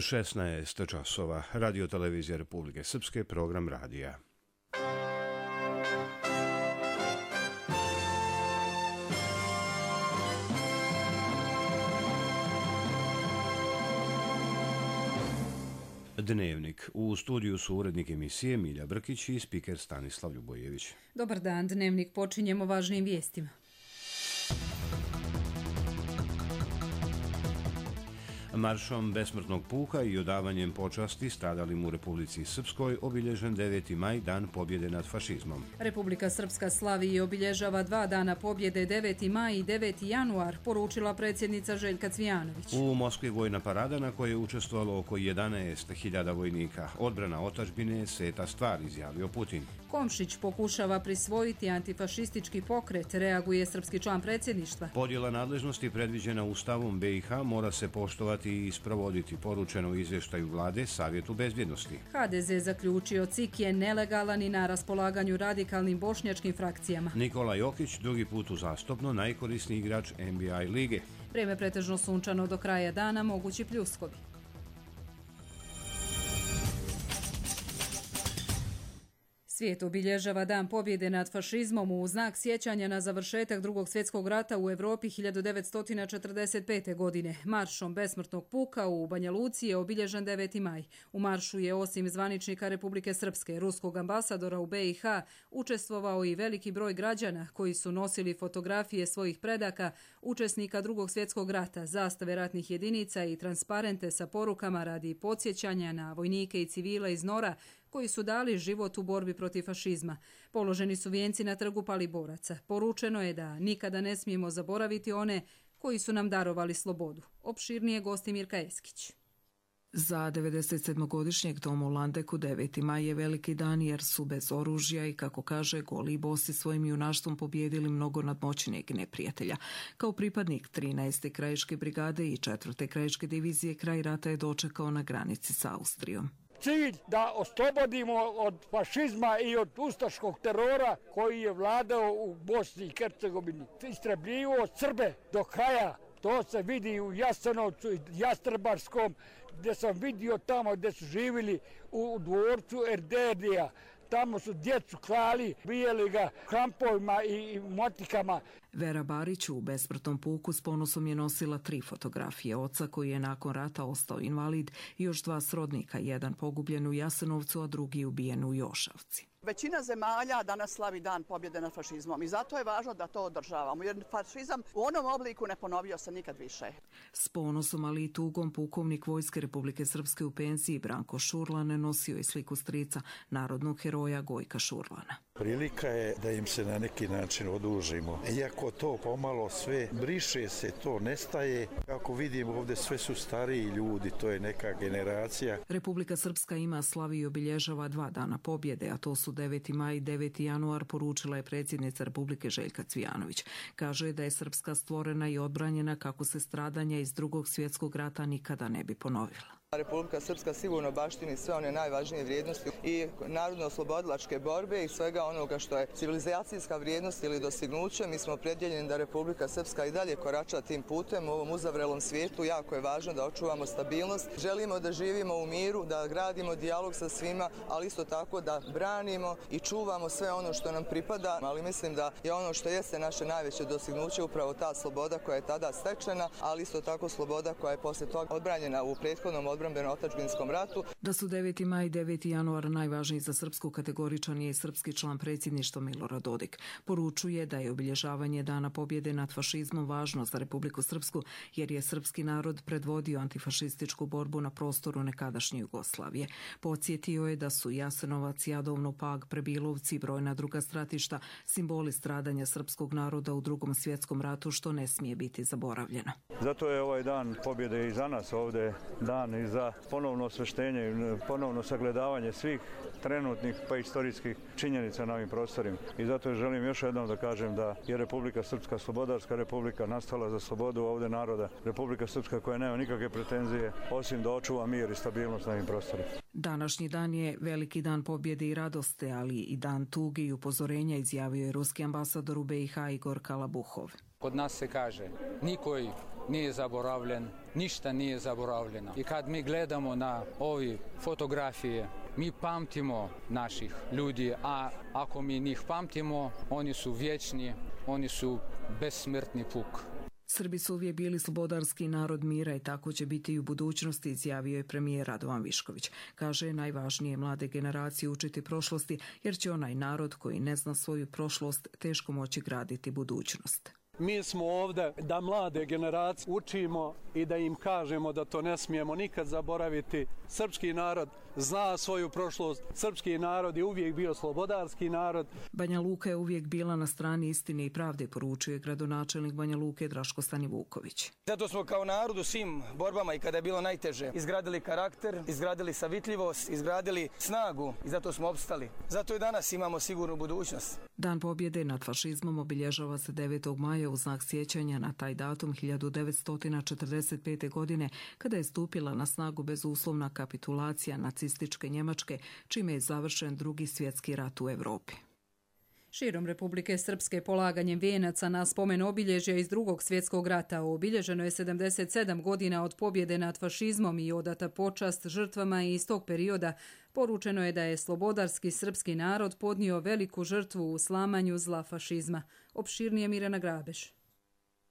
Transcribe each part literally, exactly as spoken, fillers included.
šesnaest časova, Radio televizija Republike Srpske, program radija. Dnevnik. U studiju su urednik emisije Milja Brkić i spiker Stanislav Ljubojević. Dobar dan, Dnevnik počinjemo važnim vijestima. Maršom besmrtnog puka i odavanjem počasti stradalim u Republici Srpskoj obilježen deveti maj, dan pobjede nad fašizmom. Republika Srpska slavi i obilježava dva dana pobjede, deveti maj i deveti januar, poručila predsjednica Željka Cvijanović. U Moskvi vojna parada na kojoj je učestvovalo oko jedanaest hiljada vojnika. Odbrana otadžbine je sveta stvar, izjavio Putin. Komšić pokušava prisvojiti antifašistički pokret, reaguje srpski član predsjedništva. Podjela nadležnosti predviđena Ustavom be i ha mora se poštovati i isprovoditi, poručeno u izvještaju vlade Savjetu bezbjednosti. ha de ze zaključio C I K je nelegalan i na raspolaganju radikalnim bošnjačkim frakcijama. Nikola Jokić drugi put uzastopno najkorisniji igrač en be a lige. Vrijeme pretežno sunčano do kraja dana, mogući pljuskovi. Svijet obilježava dan pobjede nad fašizmom u znak sjećanja na završetak Drugog svjetskog rata u Europi hiljadu devetsto četrdeset pete. godine. Maršom besmrtnog puka u Banja Luci je obilježen deveti maj. U maršu je osim zvaničnika Republike Srpske, ruskog ambasadora u be i ha, učestvovao i veliki broj građana koji su nosili fotografije svojih predaka, učesnika Drugog svjetskog rata, zastave ratnih jedinica i transparente sa porukama radi podsjećanja na vojnike i civile iz Nora koji su dali život u borbi protiv fašizma. Položeni su vijenci na trgu Paliboraca. Poručeno je da nikada ne smijemo zaboraviti one koji su nam darovali slobodu. Opširnije gosti Mirka Eskić. Za devedesetsedmogodišnjeg Tomu Landeku deveti maj je veliki dan jer su bez oružja i, kako kaže, goli i bosi svojim junaštvom pobijedili mnogo nadmoćnijeg neprijatelja. Kao pripadnik trinaeste krajiške brigade i četvrte krajiške divizije kraj rata je dočekao na granici s Austrijom. Cilj da oslobodimo od fašizma i od ustaškog terora koji je vladao u Bosni i Hercegovini. Istrebljivo Srbe do kraja. To se vidi u Jasenovcu i Jastrebarskom, gdje sam vidio tamo gdje su živjeli u dvorcu Erdedija. Tamo su djecu klali, bijeli ga krampovima i motikama. Vera Barić u besmrtnom puku s ponosom je nosila tri fotografije oca koji je nakon rata ostao invalid i još dva srodnika, jedan pogubljen u Jasenovcu, a drugi ubijen u Jošavci. Većina zemalja danas slavi dan pobjede nad fašizmom i zato je važno da to održavamo, jer fašizam u onom obliku ne ponovio se nikad više. S ponosom, ali i tugom, pukovnik Vojske Republike Srpske u penziji Branko Šurlan nosio je sliku strica, narodnog heroja Gojka Šurlana. Prilika je da im se na neki način odužimo. Iako to pomalo sve briše se, to nestaje. Kako vidimo ovdje sve su stariji ljudi, to je neka generacija. Republika Srpska ima, slavi i obilježava dva dana pobjede, a to su deveti maj i deveti januar, poručila je predsjednica Republike Željka Cvijanović. Kaže da je Srpska stvorena i odbranjena kako se stradanja iz Drugog svjetskog rata nikada ne bi ponovila. Republika Srpska sigurno baštini sve one najvažnije vrijednosti i narodno-oslobodilačke borbe i svega onoga što je civilizacijska vrijednost ili dostignuće. Mi smo opredjeljeni da Republika Srpska i dalje korača tim putem u ovom uzavrelom svijetu. Jako je važno da očuvamo stabilnost. Želimo da živimo u miru, da gradimo dijalog sa svima, ali isto tako da branimo i čuvamo sve ono što nam pripada. Ali mislim da je ono što jeste naše najveće dostignuće upravo ta sloboda koja je tada stečena, ali isto tako sloboda koja je posle toga odbranjena u prethodnom odbrambeno-otadžbinskom ratu. Da su deveti maj i deveti januar najvažniji za srpsku, kategoričan je i srpski član predsjedništva Milorad Dodik. Poručuje da je obilježavanje dana pobjede nad fašizmom važno za Republiku Srpsku jer je srpski narod predvodio antifašističku borbu na prostoru nekadašnje Jugoslavije. Podsjetio je da su Jasenovac, Jadovno, Pag, Prebilovci i brojna druga stratišta simboli stradanja srpskog naroda u Drugom svjetskom ratu, što ne smije biti zaboravljeno. Zato je ovaj dan pobjede i za nas ovdje dan i za ponovno osveštenje i ponovno sagledavanje svih trenutnih pa istorijskih činjenica na ovim prostorima. I zato želim još jednom da kažem da je Republika Srpska slobodarska republika, nastala za slobodu ovdje naroda. Republika Srpska koja nema nikakve pretenzije osim da očuva mir i stabilnost na ovim prostorima. Današnji dan je veliki dan pobjede i radosti, ali i dan tuge i upozorenja, izjavio je ruski ambasador u be i ha Igor Kalabuhov. Kod nas se kaže, nikoj nije zaboravljen, ništa nije zaboravljeno. I kad mi gledamo na ove fotografije, mi pamtimo naših ljudi, a ako mi njih pamtimo, oni su vječni, oni su besmrtni puk. Srbi su uvijek bili slobodarski narod mira i tako će biti i u budućnosti, izjavio je premijer Radovan Višković. Kaže, najvažnije mlade generacije učiti prošlosti, jer će onaj narod koji ne zna svoju prošlost teško moći graditi budućnost. Mi smo ovdje da mlade generacije učimo i da im kažemo da to ne smijemo nikad zaboraviti. Srpski narod zna svoju prošlost, srpski narod je uvijek bio slobodarski narod. Banja Luka je uvijek bila na strani istine i pravde, poručuje gradonačelnik Banja Luke Draško Stanivuković. Zato smo kao narod u svim borbama i kada je bilo najteže izgradili karakter, izgradili savitljivost, izgradili snagu i zato smo opstali. Zato i danas imamo sigurnu budućnost. Dan pobjede nad fašizmom obilježava se devetog maja u znak sjećanja na taj datum hiljadu devetsto četrdeset pete. godine kada je stupila na snagu bezuslovna kapitulacija nacističke Njemačke, čime je završen drugi svjetski rat u Europi. Širom Republike Srpske polaganjem vijenaca na spomen obilježja iz drugog svjetskog rata obilježeno je sedamdeset sedam godina od pobjede nad fašizmom i odata počast žrtvama iz tog perioda. Poručeno je da je slobodarski srpski narod podnio veliku žrtvu u slamanju zla fašizma. Opširnije Mirjana Grabeš.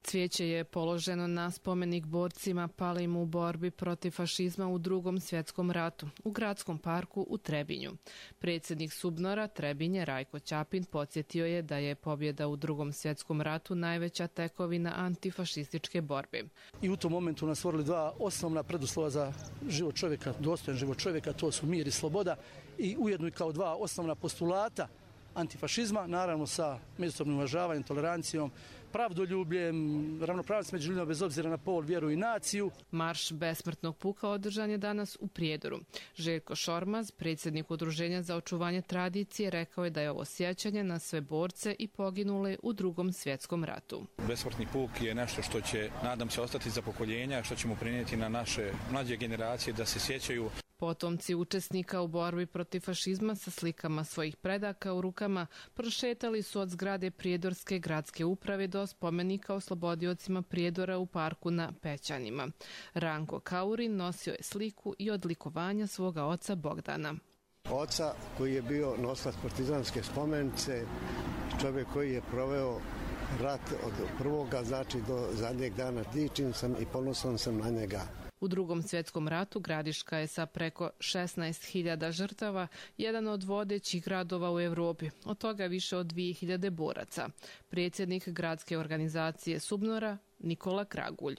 Cvijeće je položeno na spomenik borcima palim u borbi protiv fašizma u drugom svjetskom ratu u gradskom parku u Trebinju. Predsjednik Subnora Trebinje Rajko Ćapin podsjetio je da je pobjeda u drugom svjetskom ratu najveća tekovina antifašističke borbe. I u tom momentu nas stvorili dva osnovna preduslova za život čovjeka, dostojan život čovjeka, to su mir i sloboda, i ujedno i kao dva osnovna postulata antifašizma, naravno sa međusobnim uvažavanjem, tolerancijom, pravdoljubljem, ravnopravnost među ljudima bez obzira na pol, vjeru i naciju. Marš besmrtnog puka održan je danas u Prijedoru. Željko Šormaz, predsjednik Udruženja za očuvanje tradicije, rekao je da je ovo sjećanje na sve borce i poginule u drugom svjetskom ratu. Besmrtni puk je nešto što će, nadam se, ostati za pokoljenja, što ćemo prenijeti na naše mlađe generacije da se sjećaju. Potomci učesnika u borbi protiv fašizma sa slikama svojih predaka u rukama prošetali su od zgrade Prijedorske gradske uprave do spomenika oslobodiocima Prijedora u parku na Pećanima. Ranko Kaurin nosio je sliku i odlikovanja svoga oca Bogdana. Oca koji je bio nosilac partizanske spomenice, čovjek koji je proveo rat od prvoga, znači do zadnjeg dana. Dičim sam i ponosan sam na njega. U drugom svjetskom ratu Gradiška je sa preko šesnaest hiljada žrtava jedan od vodećih gradova u Europi, od toga više od dvije hiljade boraca. Predsjednik gradske organizacije Subnora Nikola Kragulj.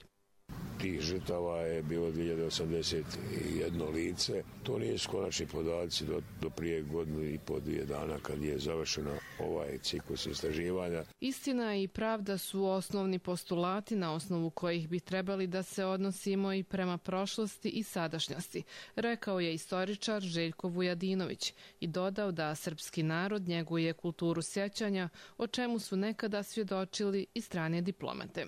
Tih žrtava je bilo dvije hiljade osamdeset jedno lice. To nisu konačni podaci do, do prije godinu i po dvije dana kad je završeno ovaj ciklus istraživanja. Istina i pravda su osnovni postulati na osnovu kojih bi trebali da se odnosimo i prema prošlosti i sadašnjosti, rekao je istoričar Željko Vujadinović i dodao da srpski narod njeguje kulturu sjećanja, o čemu su nekada svjedočili i strane diplomate.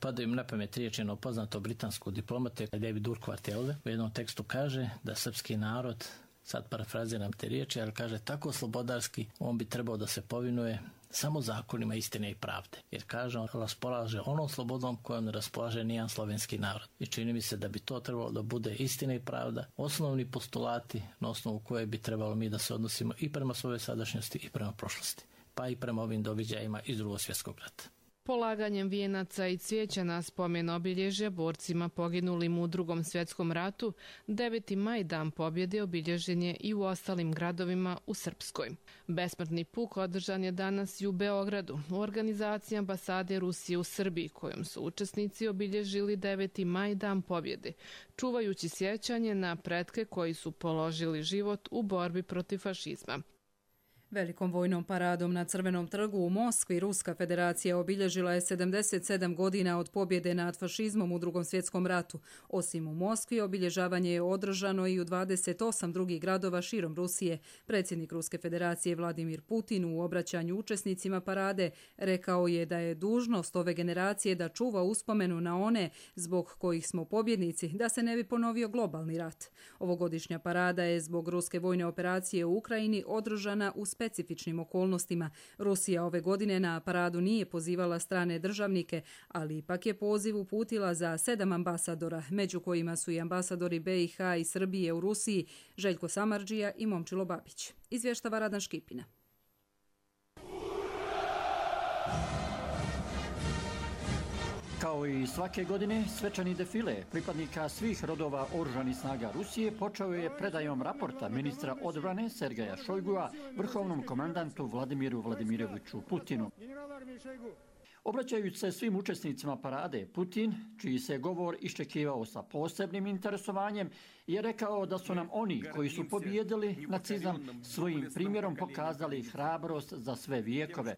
Pada im na pamet riječ jednog poznatog britanskog diplomate David Urquhart u jednom tekstu kaže da srpski narod, sad parafraziram te riječi, ali kaže tako slobodarski, on bi trebao da se povinuje samo zakonima istine i pravde. Jer kaže, on raspolaže onom slobodom kojom ne raspolaže nijedan slovenski narod. I čini mi se da bi to trebalo da bude istina i pravda, osnovni postulati na osnovu koje bi trebalo mi da se odnosimo i prema svojoj sadašnjosti i prema prošlosti, pa i prema ovim događajima iz drugog svjetskog rata. Polaganjem vijenaca i cvijeća na spomen obilježja borcima poginulim u drugom svjetskom ratu, deveti maj dan pobjede obilježen je i u ostalim gradovima u Srpskoj. Besmrtni puk održan je danas i u Beogradu, u organizaciji ambasade Rusije u Srbiji, kojom su učesnici obilježili deveti maj dan pobjede, čuvajući sjećanje na pretke koji su položili život u borbi protiv fašizma. Velikom vojnom paradom na Crvenom trgu u Moskvi Ruska federacija obilježila je sedamdeset sedam godina od pobjede nad fašizmom u drugom svjetskom ratu. Osim u Moskvi, obilježavanje je održano i u dvadeset osam drugih gradova širom Rusije. Predsjednik Ruske federacije Vladimir Putin u obraćanju učesnicima parade rekao je da je dužnost ove generacije da čuva uspomenu na one zbog kojih smo pobjednici, da se ne bi ponovio globalni rat. Ovogodišnja parada je zbog ruske vojne operacije u Ukrajini održana u specijalnom specifičnim okolnostima. Rusija ove godine na paradu nije pozivala strane državnike, ali ipak je poziv uputila za sedam ambasadora, među kojima su i ambasadori B i H i Srbije u Rusiji, Željko Samardžija i Momčilo Babić. Izvještava Radan Škipina. Kao i svake godine, svečani defile pripadnika svih rodova oružanih snaga Rusije počeo je predajom raporta ministra odbrane Sergeja Šojgua vrhovnom komandantu Vladimiru Vladimiroviću Putinu. Obraćajući se svim učesnicima parade, Putin, čiji se govor iščekivao sa posebnim interesovanjem, je rekao da su nam oni koji su pobijedili nacizam svojim primjerom pokazali hrabrost za sve vijekove.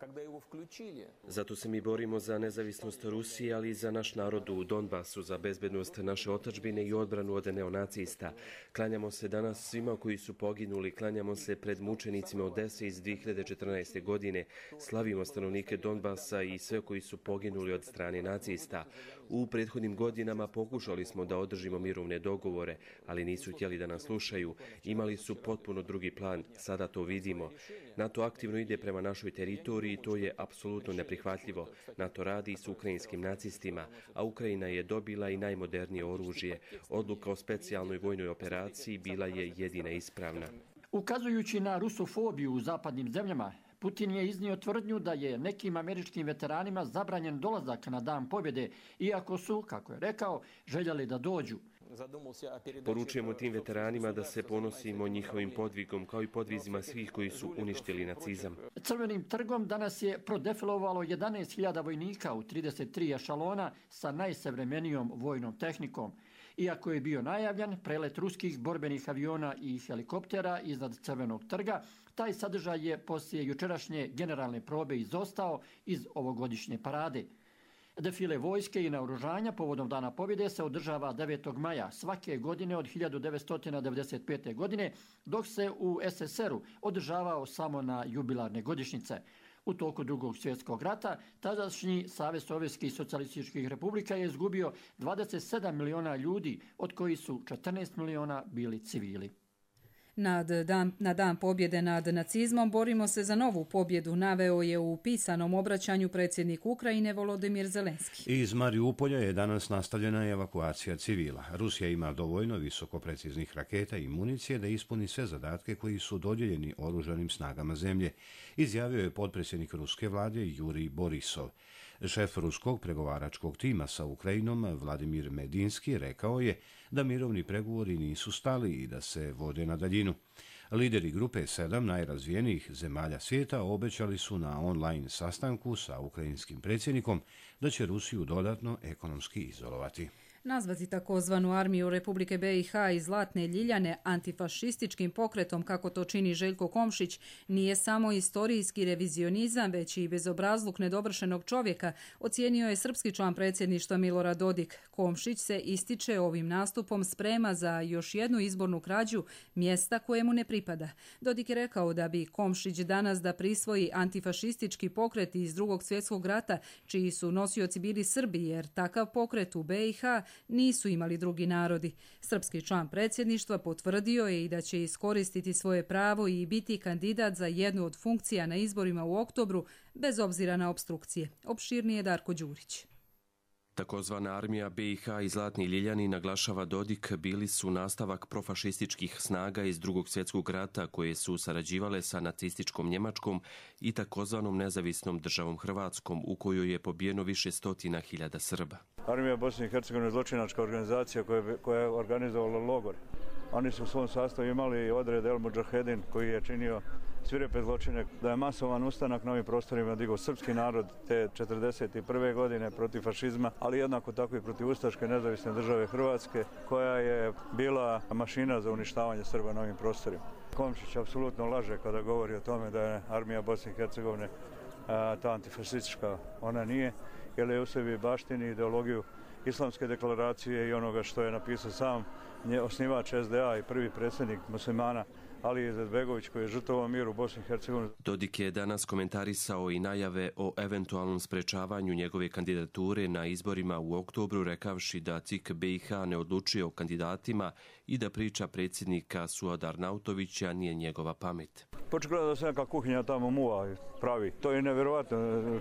Zato se mi borimo za nezavisnost Rusije, ali i za naš narod u Donbasu, za bezbednost naše otadžbine i odbranu od neonacista. Klanjamo se danas svima koji su poginuli, klanjamo se pred mučenicima Odese iz dvije hiljade četrnaeste. godine, slavimo stanovnike Donbasa i sve koji su poginuli od strane nacista. U prethodnim godinama pokušali smo da održimo mirovne dogovore, ali nisu htjeli da nas slušaju. Imali su potpuno drugi plan, sada to vidimo. NATO aktivno ide prema našoj teritoriji i to je apsolutno neprihvatljivo. NATO radi s ukrajinskim nacistima, a Ukrajina je dobila i najmodernije oružje. Odluka o specijalnoj vojnoj operaciji bila je jedina ispravna. Ukazujući na rusofobiju u zapadnim zemljama, Putin je iznio tvrdnju da je nekim američkim veteranima zabranjen dolazak na Dan pobjede, iako su, kako je rekao, željeli da dođu. Poručujemo tim veteranima da se ponosimo njihovim podvigom, kao i podvizima svih koji su uništili nacizam. Crvenim trgom danas je prodefilovalo jedanaest hiljada vojnika u trideset tri ešalona sa najsavremenijom vojnom tehnikom. Iako je bio najavljan prelet ruskih borbenih aviona i helikoptera iznad Crvenog trga, taj sadržaj je poslije jučerašnje generalne probe izostao iz ovogodišnje parade. Defile vojske i naoružanja povodom Dana pobjede se održava devetog maja svake godine od hiljadu devetsto devedeset pete. godine, dok se u S S R-u održavao samo na jubilarne godišnjice. U toku Drugog svjetskog rata tadašnji Savez sovjetskih socijalističkih republika je izgubio dvadeset sedam miliona ljudi, od kojih su četrnaest miliona bili civili. Nad dan, na dan pobjede nad nacizmom borimo se za novu pobjedu, naveo je u pisanom obraćanju predsjednik Ukrajine Volodimir Zelenski. Iz Mariupolja je danas nastavljena evakuacija civila. Rusija ima dovoljno visokopreciznih raketa i municije da ispuni sve zadatke koji su dodijeljeni oružanim snagama zemlje, izjavio je potpredsjednik ruske vlade Jurij Borisov. Šef ruskog pregovaračkog tima sa Ukrajinom Vladimir Medinski rekao je da mirovni pregovori nisu stali i da se vode na daljinu. Lideri grupe sedam najrazvijenijih zemalja svijeta obećali su na online sastanku sa ukrajinskim predsjednikom da će Rusiju dodatno ekonomski izolovati. Nazvati takozvanu armiju Republike B i H i Zlatne Ljiljane antifašističkim pokretom, kako to čini Željko Komšić, nije samo istorijski revizionizam, već i bezobrazluk nedovršenog čovjeka, ocijenio je srpski član predsjedništva Milorad Dodik. Komšić se ističe ovim nastupom sprema za još jednu izbornu krađu mjesta kojemu ne pripada. Dodik je rekao da bi Komšić danas da prisvoji antifašistički pokret iz Drugog svjetskog rata, čiji su nosioci bili Srbi, jer takav pokret u B i H nisu imali drugi narodi. Srpski član predsjedništva potvrdio je i da će iskoristiti svoje pravo i biti kandidat za jednu od funkcija na izborima u oktobru, bez obzira na opstrukcije. Opširnije Darko Đurić. Takozvana armija B i H i Zlatni Ljiljani, naglašava Dodik, bili su nastavak profašističkih snaga iz Drugog svjetskog rata koje su sarađivale sa nacističkom Njemačkom i takozvanom nezavisnom državom Hrvatskom, u kojoj je pobijeno više stotina hiljada Srba. Armija Bosne i Hercegovine je zločinačka organizacija koja je, koja je organizovala logor. Oni su u svom sastavu imali odred El Mudžahedin koji je činio svirepe zločine, da je masovan ustanak na ovim prostorima digao srpski narod te četrdeset prve. godine protiv fašizma, ali jednako tako i protiv ustaške nezavisne države Hrvatske, koja je bila mašina za uništavanje Srba na ovim prostorima. Komšić apsolutno laže kada govori o tome da je armija Bosne i Hercegovine a, ta antifašistička. Ona nije, jer je u sebi baštini ideologiju Islamske deklaracije i onoga što je napisao sam osnivač S D A i prvi predsjednik muslimana Ali Izetbegović koji je žrtvovao mir u Bosni i Hercegovini. Dodik je danas komentarisao i najave o eventualnom sprečavanju njegove kandidature na izborima u oktobru, rekavši da C I K B i H ne odlučuje o kandidatima i da priča predsjednika Suada Arnautovića nije njegova pamet. Počeo da se neka kuhinja tamo muva pravi. To je nevjerovatno.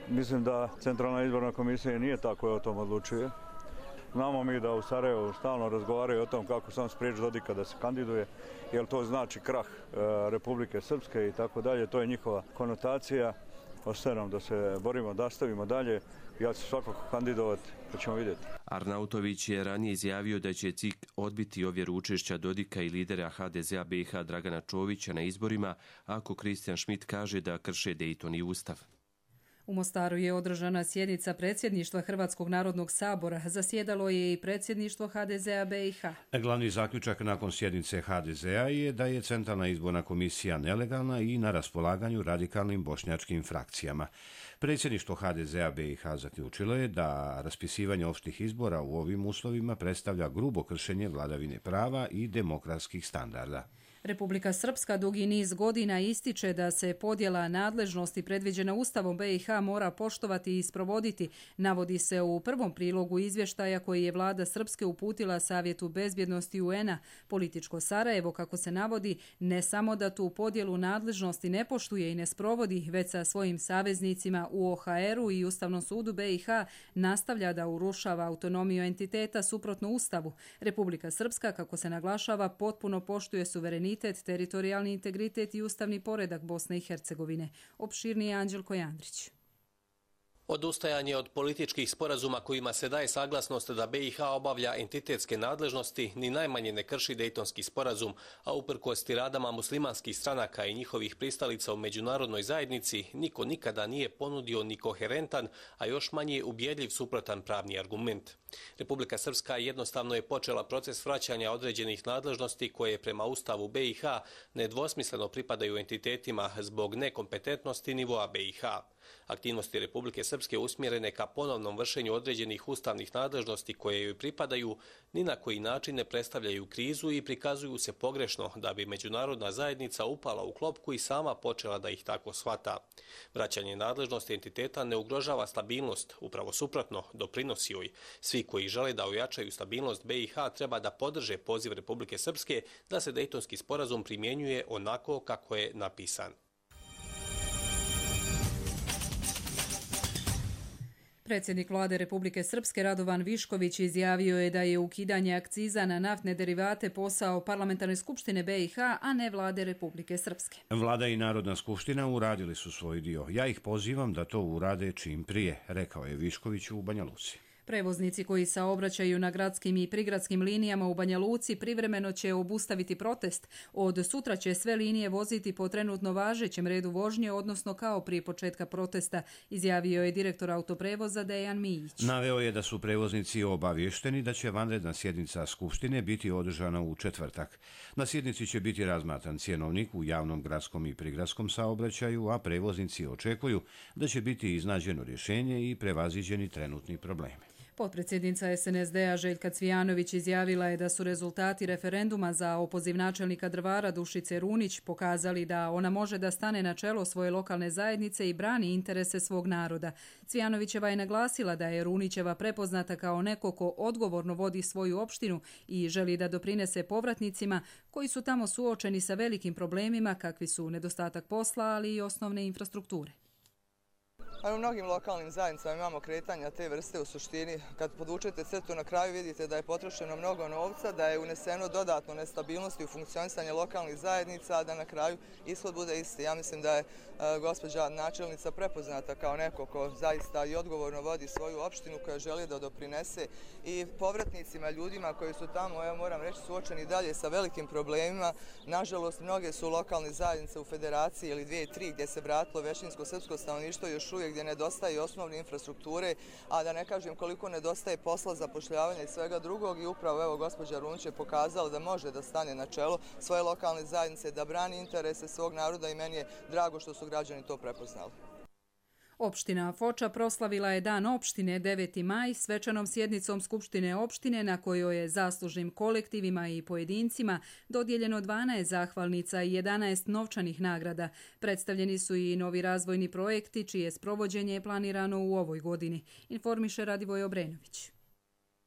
Mislim da Centralna izborna komisija nije ta koja o tom odlučuje. Znamo mi da u Sarajevu stalno razgovaraju o tom kako sam spriječi Dodika da se kandiduje, jer to znači krah e, Republike Srpske i tako dalje. To je njihova konotacija. Ostaje nam da se borimo, da stavimo dalje. Ja ću svakako kandidovati, pa ćemo vidjeti. Arnautović je ranije izjavio da će C I K odbiti ovjeru učešća Dodika i lidera H D Z A B i H Dragana Čovića na izborima ako Kristijan Šmit kaže da krše Dejton i Ustav. U Mostaru je održana sjednica predsjedništva Hrvatskog narodnog sabora. Zasjedalo je i predsjedništvo H D Z A B i H. Glavni zaključak nakon sjednice H D Z A je da je Centralna izborna komisija nelegalna i na raspolaganju radikalnim bošnjačkim frakcijama. Predsjedništvo H D Z A B i H zaključilo je da raspisivanje opštih izbora u ovim uslovima predstavlja grubo kršenje vladavine prava i demokratskih standarda. Republika Srpska dugi niz godina ističe da se podjela nadležnosti predviđena Ustavom B i H mora poštovati i sprovoditi, navodi se u prvom prilogu izvještaja koji je vlada Srpske uputila Savjetu bezbjednosti U N-a. Političko Sarajevo, kako se navodi, ne samo da tu podjelu nadležnosti ne poštuje i ne sprovodi, već sa svojim saveznicima u O H R-u i Ustavnom sudu B i H nastavlja da urušava autonomiju entiteta suprotno Ustavu. Republika Srpska, kako se naglašava, potpuno poštuje suverenitet, teritorijalni integritet i ustavni poredak Bosne i Hercegovine. Opširnije Anđelko Jandrić. Odustajanje od političkih sporazuma kojima se daje saglasnost da B i H obavlja entitetske nadležnosti ni najmanje ne krši Dejtonski sporazum, a uprkos tiradama muslimanskih stranaka i njihovih pristalica u međunarodnoj zajednici, niko nikada nije ponudio ni koherentan, a još manje ubjedljiv suprotan pravni argument. Republika Srpska jednostavno je počela proces vraćanja određenih nadležnosti koje prema Ustavu B i H nedvosmisleno pripadaju entitetima zbog nekompetentnosti nivoa B i H. Aktivnosti Republike Srpske usmjerene ka ponovnom vršenju određenih ustavnih nadležnosti koje joj pripadaju ni na koji način ne predstavljaju krizu i prikazuju se pogrešno da bi međunarodna zajednica upala u klopku i sama počela da ih tako shvata. Vraćanje nadležnosti entiteta ne ugrožava stabilnost, upravo suprotno, doprinosi joj. Svi koji žele da ojačaju stabilnost B i H treba da podrže poziv Republike Srpske da se Dejtonski sporazum primjenjuje onako kako je napisan. Predsjednik vlade Republike Srpske Radovan Višković izjavio je da je ukidanje akciza na naftne derivate posao Parlamentarne skupštine B i H, a ne vlade Republike Srpske. Vlada i Narodna skupština uradili su svoj dio. Ja ih pozivam da to urade čim prije, rekao je Višković u Banja Luci. Prevoznici koji saobraćaju na gradskim i prigradskim linijama u Banja Luci privremeno će obustaviti protest. Od sutra će sve linije voziti po trenutno važećem redu vožnje, odnosno kao prije početka protesta, izjavio je direktor autoprevoza Dejan Mijić. Naveo je da su prevoznici obavješteni da će vanredna sjednica Skupštine biti održana u četvrtak. Na sjednici će biti razmatran cjenovnik u javnom gradskom i prigradskom saobraćaju, a prevoznici očekuju da će biti iznađeno rješenje i prevaziđeni trenutni problemi. Potpredsjednica S N S D-a Željka Cvijanović izjavila je da su rezultati referenduma za opoziv načelnika Drvara Dušice Runić pokazali da ona može da stane na čelo svoje lokalne zajednice i brani interese svog naroda. Cvijanovićeva je naglasila da je Runićeva prepoznata kao neko ko odgovorno vodi svoju opštinu i želi da doprinese povratnicima koji su tamo suočeni sa velikim problemima kakvi su nedostatak posla, ali i osnovne infrastrukture. U mnogim lokalnim zajednicama imamo kretanja te vrste u suštini. Kad podvučete crtu na kraju vidite da je potrošeno mnogo novca, da je uneseno dodatno nestabilnosti u funkcionisanje lokalnih zajednica, a da na kraju ishod bude isti. Ja mislim da je gospođa načelnica prepoznata kao neko ko zaista i odgovorno vodi svoju opštinu, koja želi da doprinese i povratnicima, ljudima koji su tamo, ja moram reći, suočeni dalje sa velikim problemima. Nažalost, mnoge su lokalne zajednice u federaciji ili dvije, tri gdje se vratilo većinsko srpsko stanovništvo još uvijek gdje nedostaje osnovne infrastrukture, a da ne kažem koliko nedostaje posla, zapošljavanja i svega drugog. I upravo evo gospođa Runić je pokazala da može da stane na čelo svoje lokalne zajednice, da brani interese svog naroda i meni je drago što su građani to prepoznali. Opština Foča proslavila je Dan opštine deveti maj svečanom sjednicom Skupštine opštine na kojoj je zaslužnim kolektivima i pojedincima dodijeljeno dvanaest zahvalnica i jedanaest novčanih nagrada. Predstavljeni su i novi razvojni projekti čije sprovođenje je planirano u ovoj godini, informiše Radivoj Obrenović.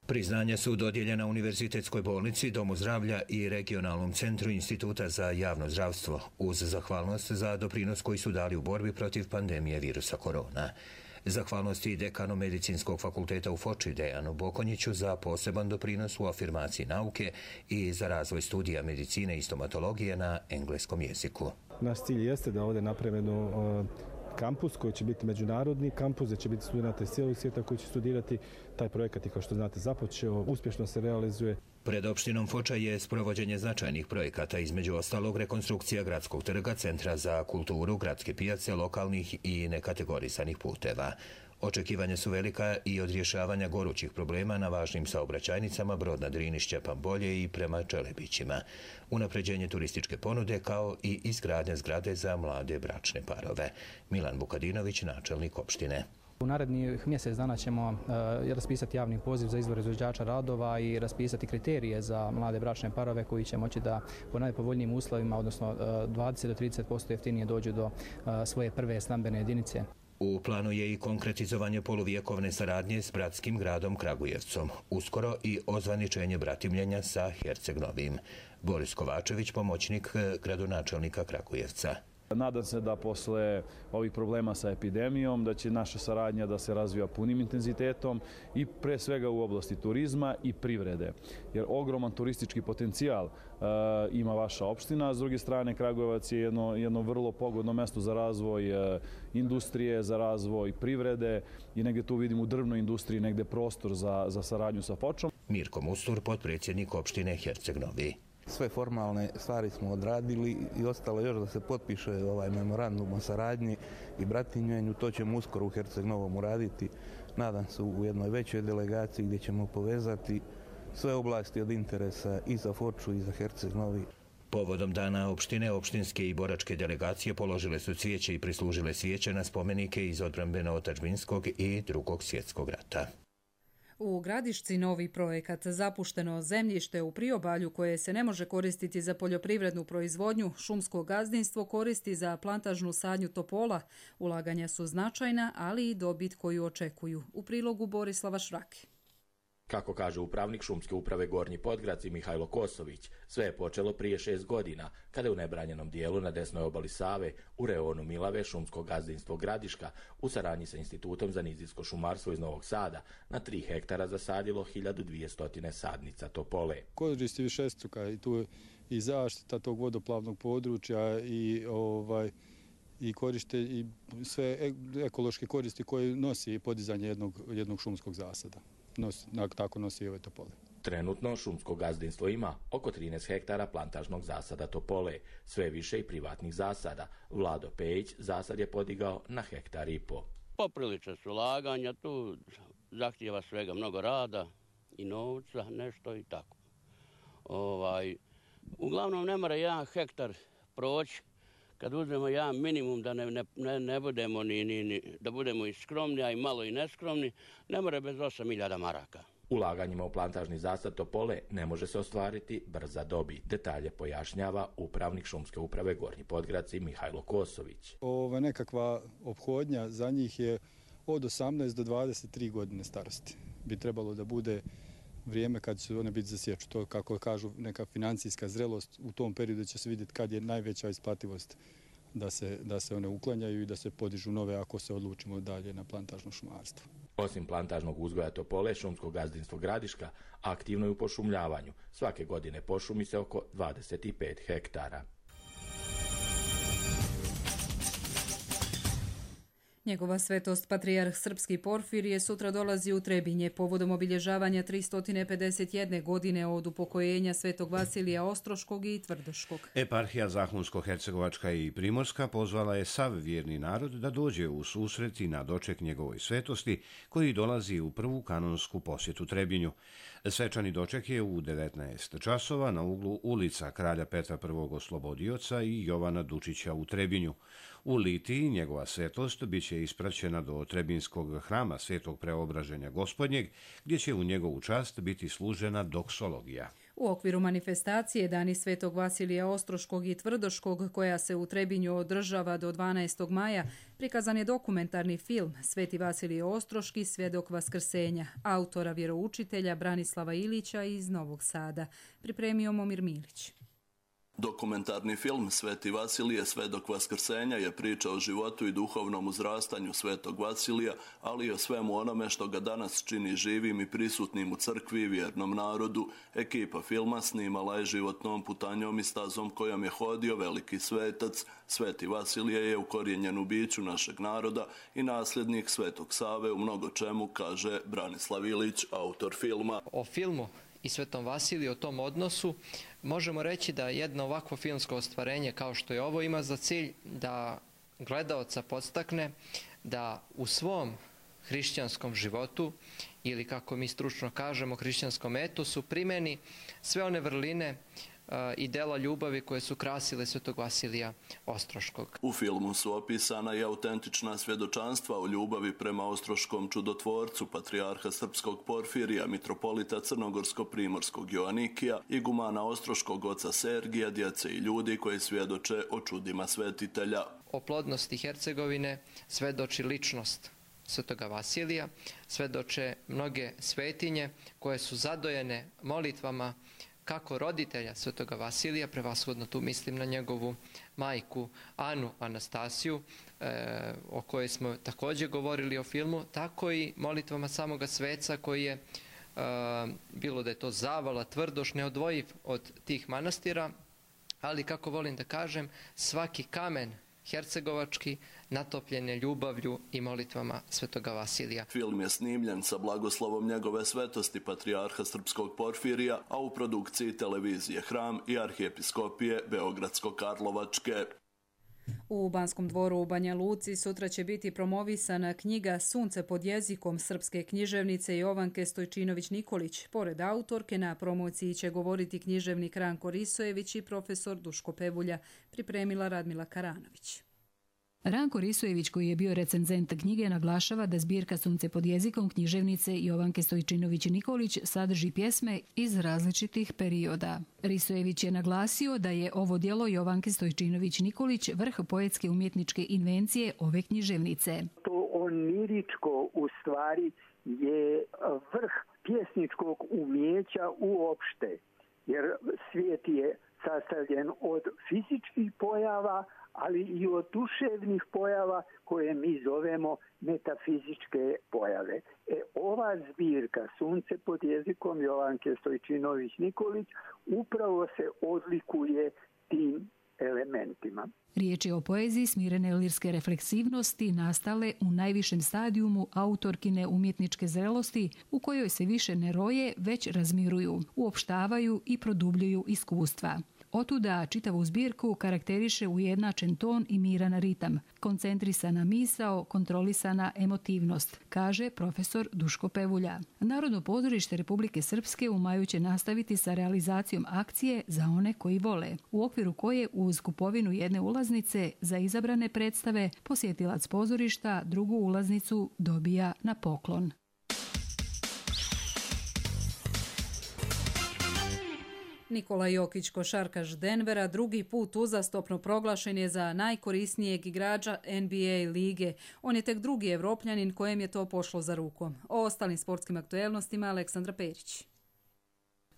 Priznanja su dodijeljena Univerzitetskoj bolnici, Domu zdravlja i Regionalnom centru Instituta za javno zdravstvo uz zahvalnost za doprinos koji su dali u borbi protiv pandemije virusa korona. Zahvalnost i dekanu Medicinskog fakulteta u Foči Dejanu Bokonjiću za poseban doprinos u afirmaciji nauke i za razvoj studija medicine i stomatologije na engleskom jeziku. Naš cilj jeste da ovdje napravimo kampus koji će biti međunarodni kampus, gdje će biti studenta iz cijelog svijeta koji će studirati. Taj projekat je, kao što znate, započeo, uspješno se realizuje. Pred opštinom Foča je sprovođenje značajnih projekata, između ostalog rekonstrukcija gradskog trga, centra za kulturu, gradske pijace, lokalnih i nekategorisanih puteva. Očekivanja su velika i od rješavanja gorućih problema na važnim saobraćajnicama Brod na Drini, Šćepan Bolje i prema Čelebićima. Unapređenje turističke ponude kao i izgradnja zgrade za mlade bračne parove. Milan Vukadinović, načelnik opštine. U narednih mjesec dana ćemo uh, raspisati javni poziv za izbor izvođača radova i raspisati kriterije za mlade bračne parove koji će moći da po najpovoljnijim uslovima, odnosno uh, dvadeset do trideset posto jeftinije dođu do uh, svoje prve stambene jedinice. U planu je i konkretizovanje poluvjekovne saradnje s bratskim gradom Kragujevcom. Uskoro i ozvaničenje bratimljenja sa Herceg-Novim. Boris Kovačević, pomoćnik gradonačelnika Kragujevca. Nadam se da posle ovih problema sa epidemijom da će naša saradnja da se razvija punim intenzitetom i pre svega u oblasti turizma i privrede. Jer ogroman turistički potencijal uh, ima vaša opština, a s druge strane Kragujevac je jedno, jedno vrlo pogodno mesto za razvoj uh, industrije, za razvoj privrede i negdje tu vidimo u drvnoj industriji negdje prostor za, za saradnju sa Fočom. Mirko Mustur, potpredsjednik opštine Herceg-Novi. Sve formalne stvari smo odradili i ostalo još da se potpiše ovaj memorandum o saradnji i bratimljenju. To ćemo uskoro u Herceg-Novom uraditi. Nadam se u jednoj većoj delegaciji gdje ćemo povezati sve oblasti od interesa i za Foču i za Herceg-Novi. Povodom dana opštine, opštinske i boračke delegacije položile su cvijeće i prislužile svijeće na spomenike iz odbrambeno-otadžbinskog i Drugog svjetskog rata. U Gradišci novi projekat Zapušteno zemljište u priobalju koje se ne može koristiti za poljoprivrednu proizvodnju, šumsko gazdinstvo koristi za plantažnu sadnju topola. Ulaganja su značajna, ali i dobit koju očekuju. U prilogu Borislava Švrake. Kako kaže upravnik šumske uprave Gornji Podgradci Mihajlo Kosović, sve je počelo prije šest godina, kada je u nebranjenom dijelu na desnoj obali Save, u reonu Milave, šumsko gazdinstvo Gradiška, u saradnji sa Institutom za nizijsko šumarstvo iz Novog Sada, na tri hektara zasadilo hiljadu dvjesto sadnica topole. Koristi višestruka i tu i zaštita tog vodoplavnog područja i ovaj i koriste i sve ekološke koristi koje nosi podizanje jednog, jednog šumskog zasada. Nos, tako nosi i ove topole. Trenutno šumsko gazdinstvo ima oko trinaest hektara plantažnog zasada topole, sve više i privatnih zasada. Vlado Pejić zasad je podigao na hektar i po. Poprilična su ulaganja, tu zahtijeva svega mnogo rada i novca, nešto i tako. Ovaj, uglavnom ne mora jedan hektar proći. Kad uzmemo jedan minimum da ne, ne, ne budemo ni, ni, ni, da budemo i skromni, a i malo i neskromni, ne mora bez osam hiljada maraka. Ulaganjima u plantažni zasad topole ne može se ostvariti brza dobit. Detalje pojašnjava upravnik šumske uprave Gornji Podgradci Mihajlo Kosović. Ova nekakva ophodnja za njih je od osamnaest do dvadeset tri godine starosti. Bi trebalo da bude vrijeme kad će one biti za sječu. To, kako kažu, neka financijska zrelost, u tom periodu će se vidjeti kad je najveća isplativost da se, da se one uklanjaju i da se podižu nove ako se odlučimo dalje na plantažno šumarstvo. Osim plantažnog uzgoja topole, šumsko gazdinstvo Gradiška aktivno je u pošumljavanju. Svake godine pošumi se oko dvadeset pet hektara. Njegova svetost patrijarh srpski Porfirije sutra dolazi u Trebinje povodom obilježavanja tristo pedeset jedne godine od upokojenja svetog Vasilija Ostroškog i Tvrdoškog. Eparhija Zahumsko-Hercegovačka i Primorska pozvala je sav vjerni narod da dođe u susret i na doček njegovoj svetosti koji dolazi u prvu kanonsku posjetu Trebinju. Svečani doček je u devetnaest časova na uglu ulica Kralja Petra prvog Oslobodioca i Jovana Dučića u Trebinju. U Litiji njegova svetost bit će ispraćena do Trebinskog hrama Svetog Preobraženja Gospodnjeg, gdje će u njegovu čast biti služena doksologija. U okviru manifestacije Dani Svetog Vasilija Ostroškog i Tvrdoškog, koja se u Trebinju održava do dvanaestog maja, prikazan je dokumentarni film Sveti Vasilije Ostroški, svjedok vaskrsenja, autora vjeroučitelja Branislava Ilića iz Novog Sada. Pripremio Momir Milić. Dokumentarni film Sveti Vasilije, svedok vaskrsenja je priča o životu i duhovnom uzrastanju Svetog Vasilija, ali i o svemu onome što ga danas čini živim i prisutnim u crkvi i vjernom narodu. Ekipa filma snimala je životnom putanjom i stazom kojom je hodio veliki svetac. Sveti Vasilije je ukorijenjen u biću našeg naroda i nasljednik Svetog Save u mnogo čemu, kaže Branislav Ilić, autor filma. O filmu i Svetom Vasiliju, o tom odnosu, možemo reći da jedno ovakvo filmsko ostvarenje kao što je ovo ima za cilj da gledaoca podstakne da u svom hrišćanskom životu ili, kako mi stručno kažemo, hrišćanskom etosu primeni sve one vrline i dela ljubavi koje su krasile Svetog Vasilija Ostroškog. U filmu su opisana i autentična svjedočanstva o ljubavi prema ostroškom čudotvorcu, patrijarha srpskog Porfirija, mitropolita crnogorsko-primorskog Joanikija, igumana ostroškog oca Sergija, djece i ljudi koji svjedoče o čudima svetitelja. O plodnosti Hercegovine svedoči ličnost Svetoga Vasilija, svedoče mnoge svetinje koje su zadojene molitvama kako roditelja Svetoga Vasilija, prevashodno tu mislim na njegovu majku Anu Anastasiju, e, o kojoj smo također govorili o filmu, tako i molitvama samoga sveca koji je, e, bilo da je to Zavala, Tvrdoš, neodvojiv od tih manastira, ali, kako volim da kažem, svaki kamen hercegovački natopljen je ljubavlju i molitvama Svetoga Vasilija. Film je snimljen sa blagoslovom njegove svetosti patrijarha srpskog Porfirija, a u produkciji televizije Hram i arhijepiskopije Beogradsko-Karlovačke. U Banskom dvoru u Banja Luci sutra će biti promovisana knjiga Sunce pod jezikom srpske književnice Jovanke Stojčinović-Nikolić. Pored autorke, na promociji će govoriti književnik Ranko Risojević i profesor Duško Pevulja, pripremila Radmila Karanović. Ranko Risojević, koji je bio recenzent knjige, naglašava da zbirka Sunce pod jezikom književnice Jovanke Stojčinović-Nikolić sadrži pjesme iz različitih perioda. Risojević je naglasio da je ovo djelo Jovanke Stojčinović-Nikolić vrh poetske umjetničke invencije ove književnice. To oniričko u stvari je vrh pjesničkog umjeća uopšte, jer svijet je sastavljen od fizičkih pojava, ali i od duševnih pojava koje mi zovemo metafizičke pojave. E, ova zbirka Sunce pod jezikom Jovanke Stojčinović-Nikolić upravo se odlikuje tim elementima. Riječ je o poeziji smirene lirske refleksivnosti nastale u najvišem stadijumu autorkine umjetničke zrelosti, u kojoj se više ne roje, već razmiruju, uopštavaju i produbljuju iskustva. Otuda čitavu zbirku karakteriše ujednačen ton i miran ritam, koncentrisana misao, kontrolisana emotivnost, kaže profesor Duško Pevulja. Narodno pozorište Republike Srpske u maju će nastaviti sa realizacijom akcije Za one koji vole, u okviru koje uz kupovinu jedne ulaznice za izabrane predstave posjetilac pozorišta drugu ulaznicu dobija na poklon. Nikola Jokić, košarkaš Denvera, drugi put uzastopno proglašen je za najkorisnijeg igrača N B A lige. On je tek drugi Evropljanin kojem je to pošlo za rukom. O ostalim sportskim aktuelnostima Aleksandra Perić.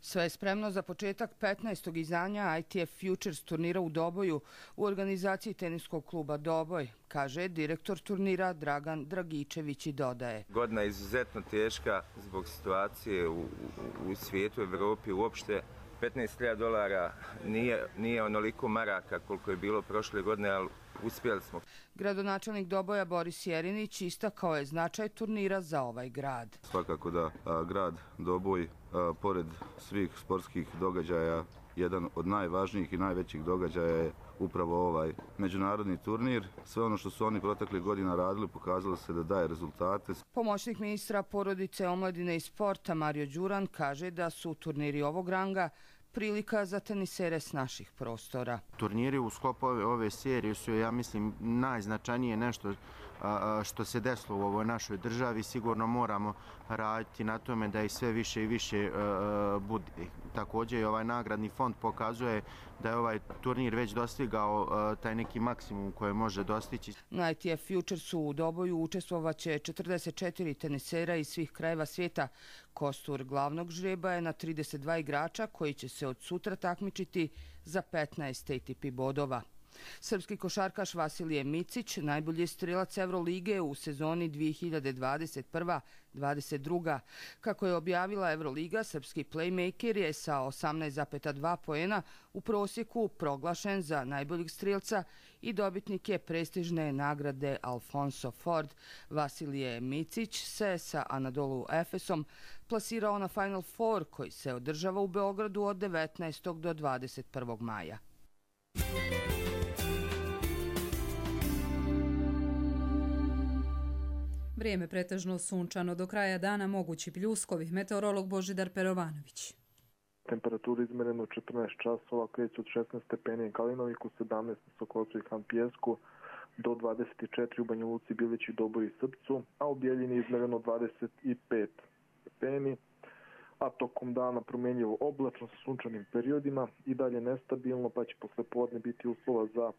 Sve je spremno za početak petnaestog izdanja I T F Futures turnira u Doboju u organizaciji teniskog kluba Doboj, kaže direktor turnira Dragan Dragičević i dodaje. Godina je izuzetno teška zbog situacije u, u, u svijetu, u Evropi uopšte. petnaest hiljada dolara nije, nije onoliko maraka koliko je bilo prošle godine, ali Uspjeli smo. Gradonačelnik Doboja Boris Jerinić istakao je značaj turnira za ovaj grad. Svakako da a, grad Doboj, a, pored svih sportskih događaja, jedan od najvažnijih i najvećih događaja je upravo ovaj međunarodni turnir. Sve ono što su oni proteklih godina radili pokazalo se da daje rezultate. Pomoćnik ministra porodice, omladine i sporta Mario Đuran kaže da su turniri ovog ranga prilika za tenisere s naših prostora. Turniri u sklopu ove, ove serije su, ja mislim, najznačajnije nešto a, što se desilo u ovoj našoj državi. Sigurno moramo raditi na tome da ih sve više i više a, bude. Također i ovaj nagradni fond pokazuje da je ovaj turnir već dostigao a, taj neki maksimum koji može dostići. Na I T F Futuresu u Doboju učestvovaće četrdeset četiri tenisera iz svih krajeva svijeta. Kostur glavnog žreba je na trideset dva igrača koji će se od sutra takmičiti za petnaest A T P bodova. Srpski košarkaš Vasilije Micić najbolji strelac Evrolige u sezoni dvije hiljade dvadeset prve dvadeset druge. Kako je objavila Evroliga, srpski playmaker je sa osamnaest zarez dva poena u prosjeku proglašen za najboljeg strelca i dobitnik je prestižne nagrade Alfonso Ford. Vasilije Micić se sa Anadolu Efesom plasirao na Final Four koji se održava u Beogradu od devetnaestog do dvadeset prvog maja. Vrijeme pretežno sunčano, do kraja dana mogući pljuskovi. Meteorolog Božidar Perovanović. Temperatura izmerena u četrnaest časova, kreće od šesnaest stepeni u Kalinoviku, sedamnaest u Sokolcu i Hampijesku, do dvadeset četiri u Banja Luci, Bilići, Doboju i Srpcu, a u Bijeljini izmereno dvadeset pet stepeni, a tokom dana promjenjivo oblačno sa sunčanim periodima i dalje nestabilno, pa će posle podne biti uslova za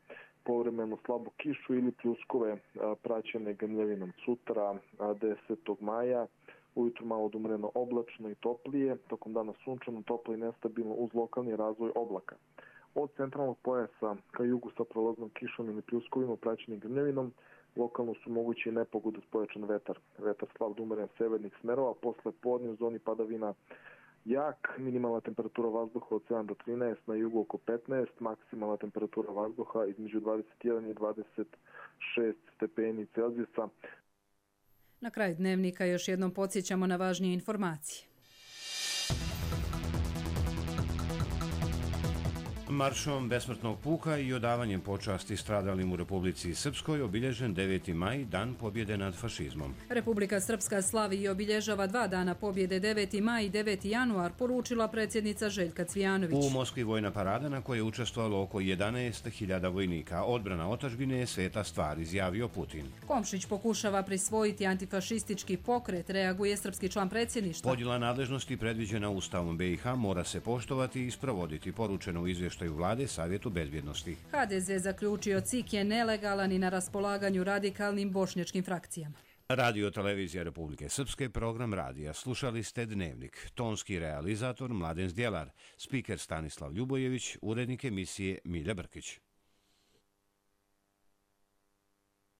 povremeno slabu kišu ili pljuskove praćene grmljavinom. Sutra, desetog maja, ujutru malo odumreno oblačno i toplije, tokom dana sunčano, toplo i nestabilno uz lokalni razvoj oblaka. Od centralnog pojasa ka jugu sa prolaznom kišom ili pljuskovima praćenim grmljavinom, lokalno su mogući i nepogode s pojačan vetar. Vetar slab do umeren severnih smerova, posle podne u zoni padavina jak, minimalna temperatura vazduha od sedam do trinaest, na jugu oko petnaest, maksimalna temperatura vazduha između dvadeset jedan i dvadeset šest stepeni Celzijusa. Na kraju dnevnika još jednom podsjećamo na važnije informacije. Maršom besmrtnog puka i odavanjem počasti stradalim u Republici Srpskoj obilježen deveti maj, dan pobjede nad fašizmom. Republika Srpska slavi i obilježava dva dana pobjede deveti maj i deveti januar, poručila predsjednica Željka Cvijanović. U Moskvi vojna parada na kojoj je učestvovalo oko jedanaest hiljada vojnika. Odbrana otadžbine je sveta stvar, izjavio Putin. Komšić pokušava prisvojiti antifašistički pokret, reaguje srpski član predsjedništva. Podjela nadležnosti predviđena Ustavom B i H mora se poštovati i sprovoditi, poručeno u izvještaju vlade Savjetu bezbjednosti. H D Z zaključio C I K je nelegalan i na raspolaganju radikalnim bošnjačkim frakcijama. Radio Televizija Republike Srpske, program radija. Slušali ste Dnevnik. Tonski realizator Mladen Zdjelar, spiker Stanislav Ljubojević, urednik emisije Milja Brkić.